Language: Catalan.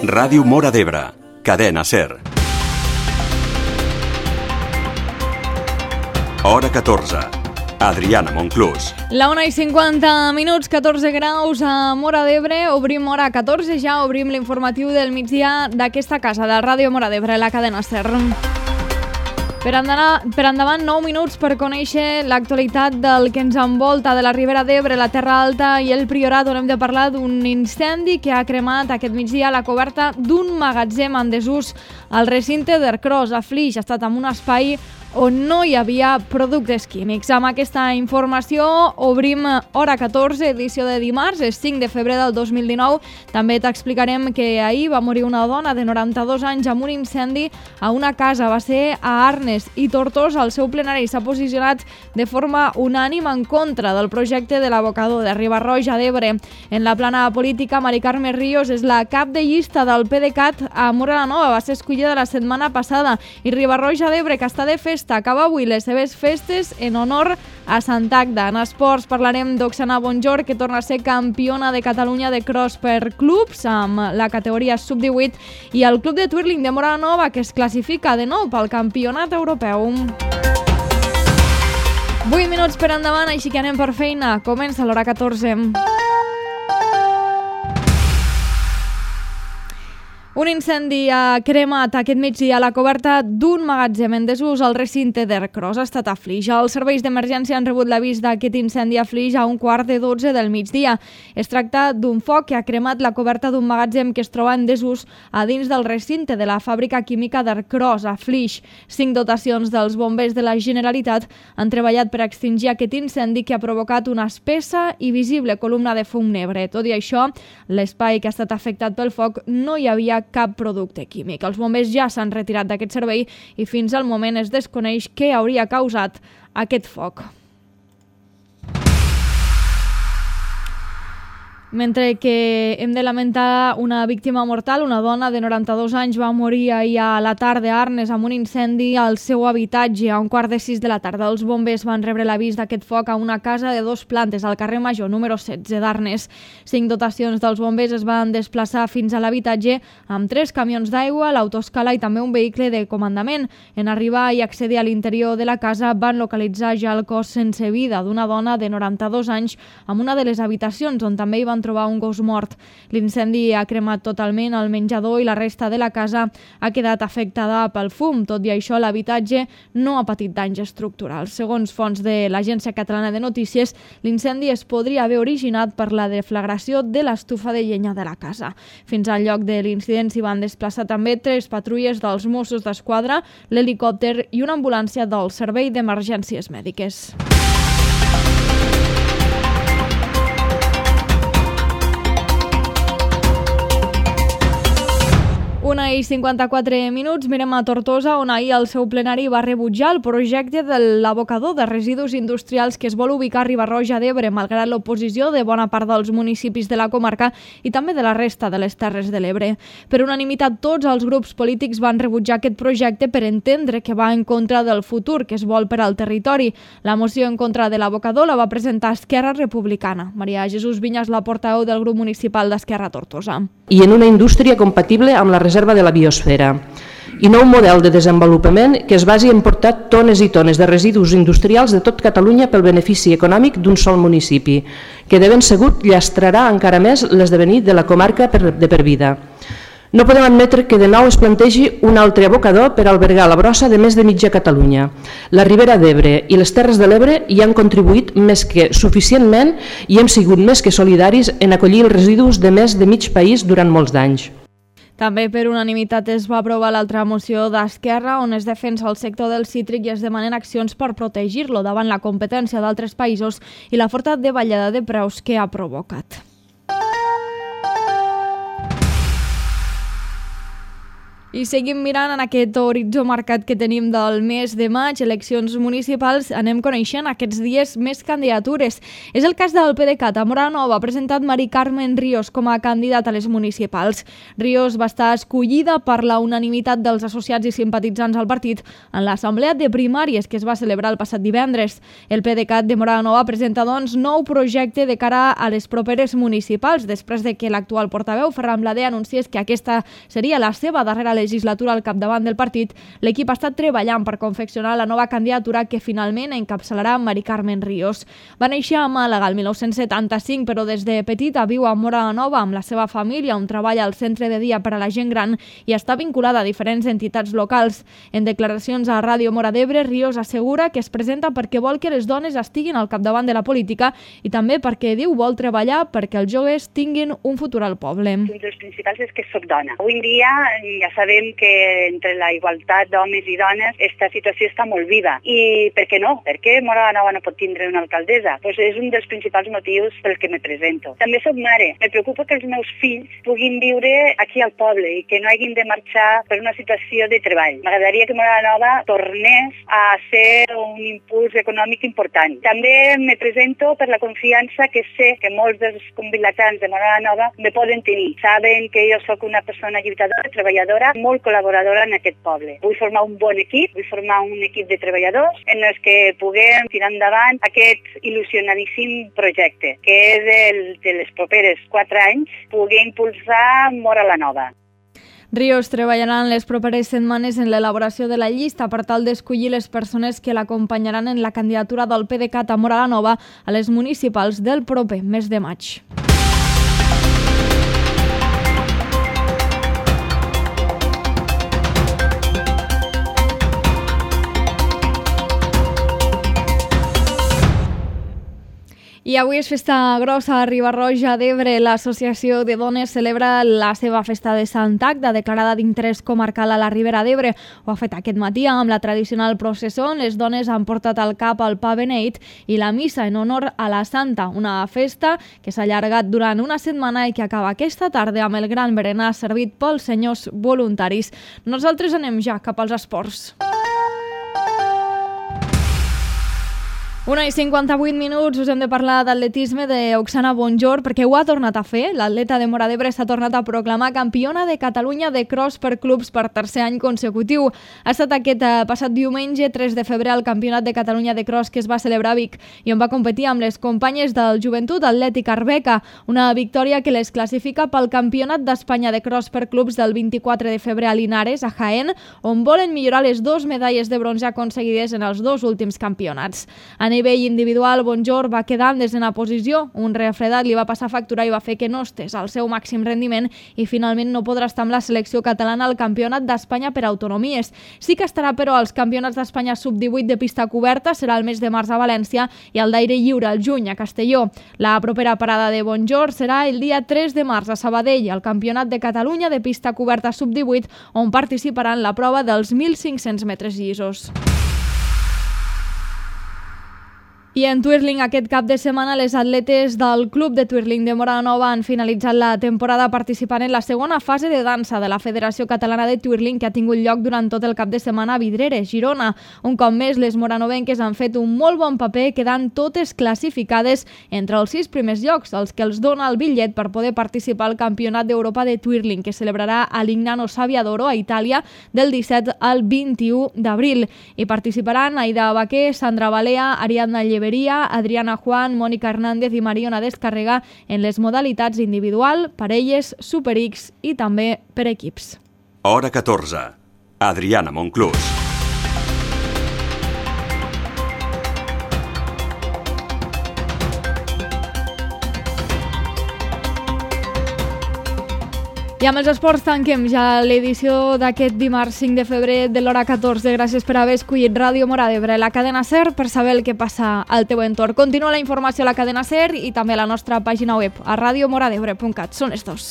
Ràdio Móra d'Ebre, cadena SER. Hora 14. Adriana Monclús. La 1:50, 14 graus a Móra d'Ebre. Obrim hora 14, ja obrim l'informatiu del migdia d'aquesta casa, de Ràdio Móra d'Ebre, la cadena SER. Per endavant, 9 minuts per conèixer l'actualitat del que ens envolta, de la Ribera d'Ebre, la Terra Alta i el Priorat, on hem de parlar d'un incendi que ha cremat aquest migdia la coberta d'un magatzem en desús al recinte d'Ercros, a Flix. Ha estat en un espai on no hi havia productes químics. Amb aquesta informació obrim hora 14, edició de dimarts, és 5 de febrer del 2019. També t'explicarem que ahir va morir una dona de 92 anys amb un incendi a una casa. Va ser a Arnes i Tortosa. El seu plenari s'ha posicionat de forma unànime en contra del projecte de l'abocador de Riba-roja d'Ebre. En la plana política, Mari Carme Ríos és la cap de llista del PDeCAT a Móra la Nova. Va ser escollida la setmana passada. I Riba-roja d'Ebre, que està de festa, acaba avui les seves festes en honor a Sant Agda. En esports parlarem d'Oxana Bonjor, que torna a ser campiona de Catalunya de cross per clubs amb la categoria sub-18, i el club de twirling de Móra la Nova, que es classifica de nou pel campionat europeu. 8 minuts per endavant, així que anem per feina. Comença l'hora 14. Un incendi ha cremat aquest migdia a la coberta d'un magatzem en desús al recinte d'Ercros. Ha estat a Flix. Els serveis d'emergència han rebut l'avís d'aquest incendi a Flix a 11:45 del migdia. Es tracta d'un foc que ha cremat la coberta d'un magatzem que es troba en desús a dins del recinte de la fàbrica química d'Ercros, a Flix. 5 dotacions dels bombers de la Generalitat han treballat per extingir aquest incendi que ha provocat una espessa i visible columna de fum negre. Tot i això, l'espai que ha estat afectat pel foc no hi havia cap producte químic. Els bombers ja s'han retirat d'aquest servei i fins al moment es desconeix què hauria causat aquest foc. Mentre que hem de lamentar una víctima mortal, una dona de 92 anys va morir ahir a la tarda a Arnes amb un incendi al seu habitatge a 5:45 de la tarda. Els bombers van rebre l'avís d'aquest foc a una casa de 2 plantes al carrer Major, número 16 d'Arnes. 5 dotacions dels bombers es van desplaçar fins a l'habitatge amb 3 camions d'aigua, l'autoscala i també un vehicle de comandament. En arribar i accedir a l'interior de la casa van localitzar ja el cos sense vida d'una dona de 92 anys amb una de les habitacions, on també hi van trobar un gos mort. L'incendi ha cremat totalment el menjador i la resta de la casa ha quedat afectada pel fum. Tot i això, l'habitatge no ha patit danys estructurals. Segons fonts de l'Agència Catalana de Notícies, l'incendi es podria haver originat per la deflagració de l'estufa de llenya de la casa. Fins al lloc de l'incident s'hi van desplaçar també 3 patrulles dels Mossos d'Esquadra, l'helicòpter i una ambulància del Servei d'Emergències Mèdiques. 1:54. Mirem a Tortosa, on ahir el seu plenari va rebutjar el projecte de l'abocador de residus industrials que es vol ubicar a Riba-roja d'Ebre, malgrat l'oposició de bona part dels municipis de la comarca i també de la resta de les Terres de l'Ebre. Per unanimitat, tots els grups polítics van rebutjar aquest projecte per entendre que va en contra del futur que es vol per al territori. La moció en contra de l'abocador la va presentar Esquerra Republicana. Maria Jesús Viñas, la portaveu del grup municipal d'Esquerra a Tortosa. I en una indústria compatible amb la reserva de la biosfera. I no un model de desenvolupament que es basi en portar tones i tones de residus industrials de tot Catalunya pel benefici econòmic d'un sol municipi, que de ben segur llastrarà encara més l'esdevenir de la comarca de per vida. No podem admetre que de nou es plantegi un altre abocador per albergar la brossa de més de mitja Catalunya. La Ribera d'Ebre i les Terres de l'Ebre hi han contribuït més que suficientment i hem sigut més que solidaris en acollir els residus de més de mig país durant molts d'anys. També per unanimitat es va aprovar l'altra moció d'Esquerra, on es defensa el sector del cítric i es demanen accions per protegir-lo davant la competència d'altres països i la forta davallada de preus que ha provocat. I seguim mirant en aquest horitzó marcat que tenim del mes de maig, eleccions municipals, anem coneixent aquests dies més candidatures. És el cas del PDeCAT. A Móra la Nova ha presentat Mari Carmen Ríos com a candidata a les municipals. Ríos va estar escollida per la unanimitat dels associats i simpatitzants al partit en l'assemblea de primàries que es va celebrar el passat divendres. El PDeCAT de Móra la Nova presenta, doncs, nou projecte de cara a les properes municipals, després de que l'actual portaveu, Ferran Bladé, anunciés que aquesta seria la seva darrera legislatura al capdavant del partit. L'equip ha estat treballant per confeccionar la nova candidatura que finalment encapçalarà Mari Carmen Ríos. Va néixer a Màlaga el 1975, però des de petita viu a Móra la Nova amb la seva família, on treballa al centre de dia per a la gent gran i està vinculada a diferents entitats locals. En declaracions a Ràdio Móra d'Ebre, Ríos assegura que es presenta perquè vol que les dones estiguin al capdavant de la política i també perquè, diu, vol treballar perquè els joves tinguin un futur al poble. Un dels principals és que soc dona. Avui en dia ja sabem que entre la igualtat d'homes i dones aquesta situació està molt viva. I per què no? Per què Móra la Nova no pot tindre una alcaldessa? Pues és un dels principals motius pel que me presento. També soc mare. Me preocupa que els meus fills puguin viure aquí al poble i que no hagin de marxar per una situació de treball. M'agradaria que Móra la Nova tornés a ser un impuls econòmic important. També me presento per la confiança que sé que molts dels convilatans de Móra la Nova me poden tenir. Saben que jo sóc una persona lluitadora, treballadora, molt col·laboradora en aquest poble. Vull formar un bon equip, vull formar un equip de treballadors en els que puguem tirar endavant aquest il·lusionadíssim projecte, que és el de les properes 4 anys, poder impulsar Móra la Nova. Ríos treballarà en les properes setmanes en l'elaboració de la llista per tal d'escollir les persones que l'acompanyaran en la candidatura del PDeCAT a Móra la Nova a les municipals del proper mes de maig. I avui és festa grossa a Riba-roja d'Ebre. L'Associació de Dones celebra la seva festa de Sant Agda, declarada d'interès comarcal a la Ribera d'Ebre. Ho ha fet aquest matí amb la tradicional processó on les dones han portat al cap el pa beneit i la missa en honor a la Santa, una festa que s'ha allargat durant una setmana i que acaba aquesta tarda amb el gran berenar servit pels senyors voluntaris. Nosaltres anem ja cap als esports. 1:58, us hem de parlar d'atletisme d'Oksana Bonjor perquè ho ha tornat a fer. L'atleta de Móra d'Ebre s'ha tornat a proclamar campiona de Catalunya de cross per clubs per tercer any consecutiu. Ha estat aquest passat diumenge, 3 de febrer, al Campionat de Catalunya de cross que es va celebrar a Vic i on va competir amb les companyes del Joventut Atlètic Arbeca. Una victòria que les classifica pel Campionat d'Espanya de cross per clubs del 24 de febrer a Linares, a Jaén, on volen millorar les 2 medalles de bronze aconseguides en els 2 últims campionats. A nivell individual, Bonjor va quedar en desena posició. Un refredat li va passar factura i va fer que no estés al seu màxim rendiment i finalment no podrà estar amb la selecció catalana al Campionat d'Espanya per autonomies. Sí que estarà, però, als Campionats d'Espanya sub-18 de pista coberta, serà el mes de març a València, i el d'aire lliure al juny a Castelló. La propera parada de Bonjor serà el dia 3 de març a Sabadell, al Campionat de Catalunya de pista coberta sub-18, on participarà en la prova dels 1.500 metres llisos. I en twirling aquest cap de setmana les atletes del Club de Twirling de Móra la Nova han finalitzat la temporada participant en la segona fase de dansa de la Federació Catalana de Twirling que ha tingut lloc durant tot el cap de setmana a Vidreres, Girona. Un cop més, les moranovenques han fet un molt bon paper, quedant totes classificades entre els 6 primers llocs, els que els dona el bitllet per poder participar al Campionat d'Europa de Twirling que celebrarà a Lignano Sabbiadoro, a Itàlia, del 17 al 21 d'abril. Hi participaran Aida Baquer, Sandra Balea, Ariadna Lleveria, Adriana Juan, Mònica Hernández i Mariona Descarrega en les modalitats individual, parelles, Super X i també per equips. Hora 14. Adriana Monclús. I amb els esports tanquem ja l'edició d'aquest dimarts 5 de febrer de l'hora 14. Gràcies per haver escollit Ràdio Móra d'Ebre, la cadena SER, per saber el que passa al teu entorn. Continua la informació a la cadena SER i també a la nostra pàgina web a radiomoradebre.cat. Són estos.